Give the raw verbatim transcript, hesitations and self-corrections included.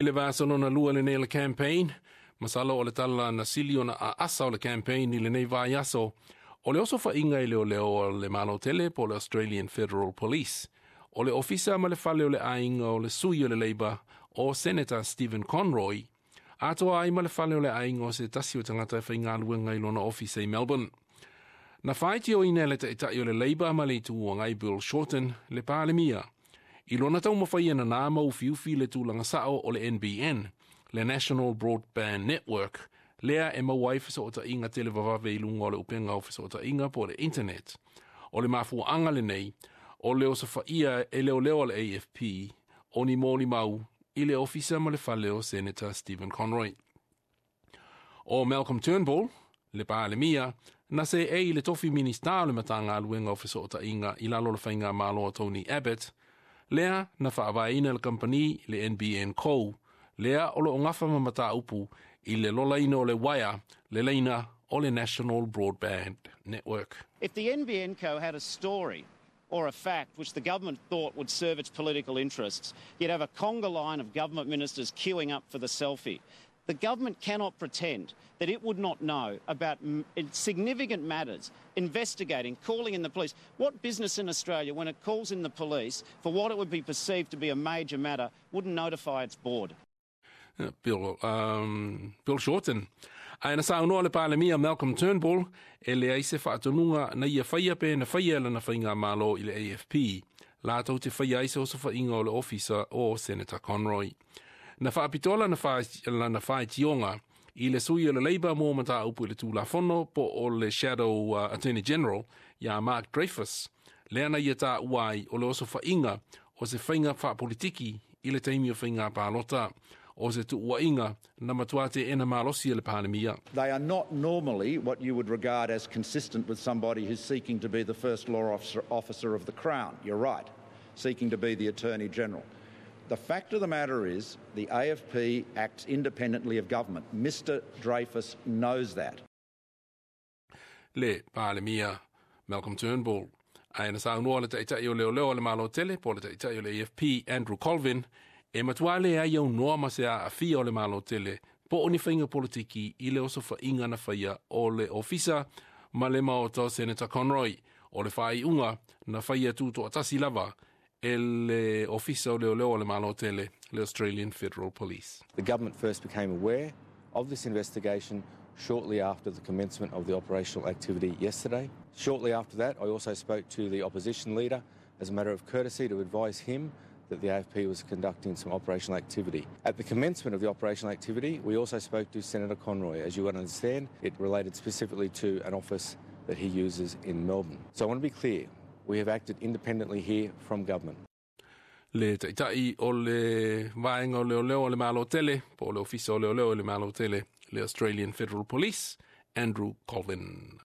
Le vaiaso lona lua lenei o le campaign, masalo o le tala na sili ona aasa o le campaign i lenei vaiaso, o le osofaiga i leoleo o le Malo tele po le Australian Federal Police. O le ofisa ma le fale o le aiga o le sui o le Labour o Senator Stephen Conroy, atoa ai ma le fale o le aiga o se tasi o tagata e faigaluega i lona ofisa i Melbourne. Na faitioina e le taitai o le Labour ma le Itu Agai Bill Shorten le Palemia i lona taumafai e nanā ma ufiufi le tulaga sao o le N B N, le National Broadband Network, lea e maua ai fesootaiga televavave i luga o le upega o fesootaiga po o le internet. O le mafuaaga lenei o le osofaia e leoleo a le A F P o ni molimau i le ofisa ma le fale o Senator Stephen Conroy. O Malcolm Turnbull, le Palemia, na seei i le tofi Minista o le Matagaluega o Fesootaiga i lalo o le faigamalo a Tony Abbott, lea na faavaeina le kamupani le N B N Co, lea o loo gafa ma mataupu i le lolaina o le uaea, le laina o le National Broadband Network. If the N B N Co had a story or a fact which the government thought would serve its political interests, you'd have a conga line of government ministers queuing up for the selfie. The government cannot pretend that it would not know about significant matters, investigating, calling in the police. What business in Australia, when it calls in the police for what it would be perceived to be a major matter, wouldn't notify its board? Bill, um, Bill Shorten. Ae na saunoa le Palemia Malcolm Turnbull e leai se faatonuga na ia faia pe na faia lana faigamalo i le A F P latou te faia ai se osofaiga o le ofisa o Senator Conroy. Na faapitoa lana lana faitioga i le sui o le Labour mo mataupu i le Tulafono po o le Shadow uh, Attorney General ia Mark Dreyfus, lea na ia taua ai o le osofaiga o se faiga faapolitiki i le taimi o faiga palota o se tuuaiga na matua teena malosi e le Palemia. They are not normally what you would regard as consistent with somebody who's seeking to be the first law officer, officer of the Crown. You're right, seeking to be the Attorney General. The fact of the matter is, the A F P acts independently of government. Mister Dreyfus knows that. Le Palemia Malcolm Turnbull. Ae na saunoa le taitai o leoleo o le Malo tele po le taitai o le A F P Andrew Colvin e matua leai aunoa ma se aafia o le Malo tele po o ni faiga politiki i le osofaiga na faia o le ofisa ma le maota o Senator Conroy. O le faaiuga na faia tutoatasi lava e le ofisa o leoleo o le Malo tele, le Australian Federal Police. The government first became aware of this investigation shortly after the commencement of the operational activity yesterday. Shortly after that, I also spoke to the opposition leader as a matter of courtesy to advise him that the A F P was conducting some operational activity. At the commencement of the operational activity, we also spoke to Senator Conroy. As you would understand, it related specifically to an office that he uses in Melbourne. So I want to be clear, we have acted independently here from government. Le taitai o le vaega o leoleo o le Malo tele, po o le ofisa o leoleo o le Malo tele, le Australian Federal Police, Andrew Colvin.